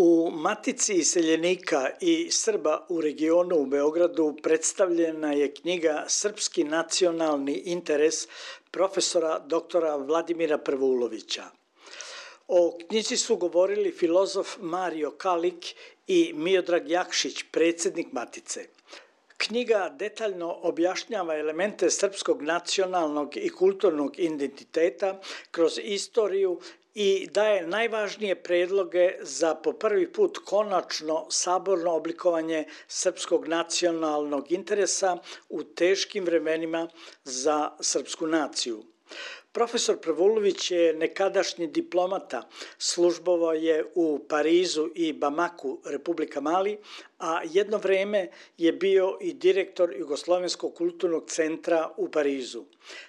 U Matici iseljenika i Srba u regionu u Beogradu predstavljena je knjiga Srpski nacionalni interes profesora doktora Vladimira Prvulovića. O knjizi su govorili filozof Mario Kalik i Miodrag Jakšić, predsjednik Matice. Knjiga detaljno objašnjava elemente srpskog nacionalnog i kulturnog identiteta kroz istoriju i daje najvažnije predloge za po prvi put konačno saborno oblikovanje srpskog nacionalnog interesa u teškim vremenima za srpsku naciju. Profesor Prvulović je nekadašnji diplomata, službovao je u Parizu i Bamaku, Republika Mali, a jedno vreme je bio i direktor Jugoslovenskog kulturnog centra u Parizu.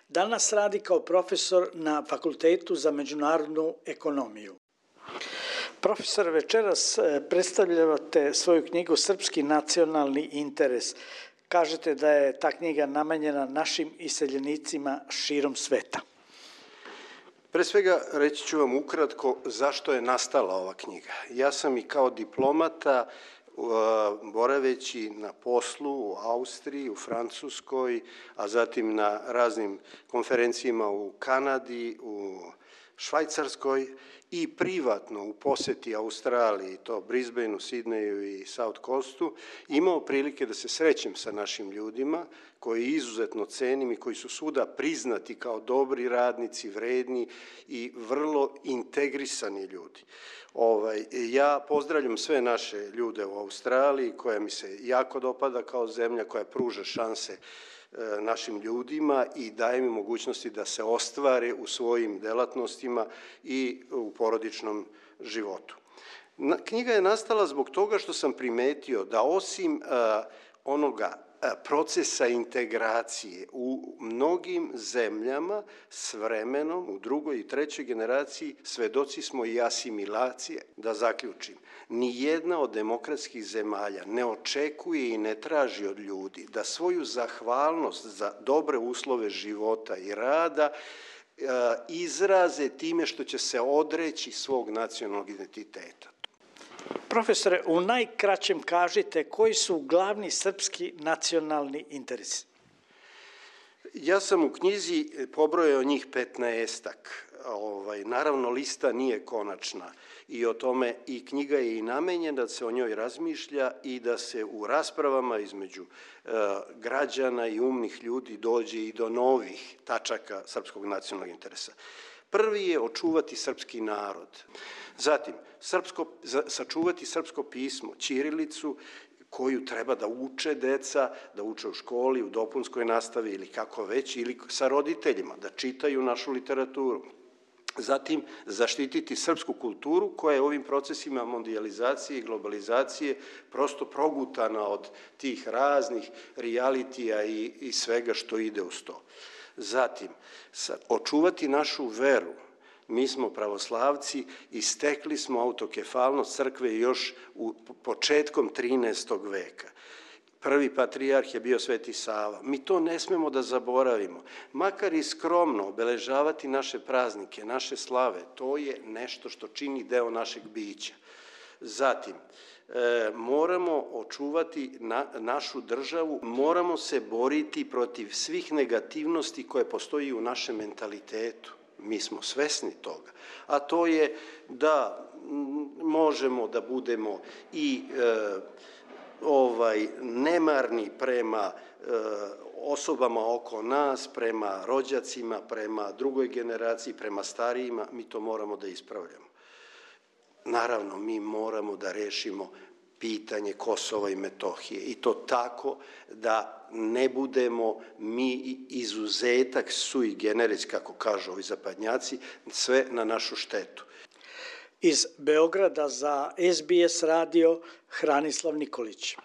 Danas radi kao profesor na Fakultetu za međunarodnu ekonomiju. Profesor, večeras predstavljate svoju knjigu Srpski nacionalni interes. Kažete da je ta knjiga namenjena našim iseljenicima širom sveta. Pre svega reći ću vam ukratko zašto je nastala ova knjiga. Ja sam i kao diplomata, boraveći na poslu u Austriji, u Francuskoj, a zatim na raznim konferencijama u Kanadi, u Švajcarskoj i privatno u poseti Australiji, to Brisbaneu, Sidneju i South Coastu, imao prilike da se srećem sa našim ljudima koji izuzetno cenim i koji su svuda priznati kao dobri radnici, vredni i vrlo integrisani ljudi. Ja pozdravljam sve naše ljude u Australiji koja mi se jako dopada kao zemlja koja pruža šanse našim ljudima i daje mi mogućnosti da se ostvare u svojim delatnostima i u porodičnom životu. Knjiga je nastala zbog toga što sam primetio da osim onoga procesa integracije u mnogim zemljama s vremenom, u drugoj i trećoj generaciji, svedoci smo i asimilacije. Da zaključim, nijedna od demokratskih zemalja ne očekuje i ne traži od ljudi da svoju zahvalnost za dobre uslove života i rada izraze time što će se odreći svog nacionalnog identiteta. Profesore, u najkraćem kažite koji su glavni srpski nacionalni interesi? Ja sam u knjizi pobrojao njih 15-ak. Naravno, lista nije konačna i o tome i knjiga je i namenjena da se o njoj razmišlja i da se u raspravama između građana i umnih ljudi dođe i do novih tačaka srpskog nacionalnog interesa. Prvi je očuvati srpski narod, zatim sačuvati srpsko pismo, ćirilicu koju treba da uče deca, da uče u školi, u dopunskoj nastavi ili kako već, ili sa roditeljima, da čitaju našu literaturu. Zatim, zaštititi srpsku kulturu koja je ovim procesima mondijalizacije i globalizacije prosto progutana od tih raznih realitija i svega što ide uz to. Zatim, očuvati našu veru. Mi smo pravoslavci i stekli smo autokefalnost crkve još početkom 13. veka. Prvi patrijarh je bio Sveti Sava. Mi to ne smemo da zaboravimo. Makar i skromno obeležavati naše praznike, naše slave, to je nešto što čini deo našeg bića. Zatim, moramo očuvati našu državu, moramo se boriti protiv svih negativnosti koje postoji u našem mentalitetu. Mi smo svesni toga, a to je da možemo da budemo i nemarni prema osobama oko nas, prema rođacima, prema drugoj generaciji, prema starijima, mi to moramo da ispravljamo. Naravno, mi moramo da rešimo pitanje Kosova i Metohije i to tako da ne budemo mi izuzetak sui generis, kako kažu ovi zapadnjaci, sve na našu štetu. Iz Beograda za SBS radio Hranislav Nikolić.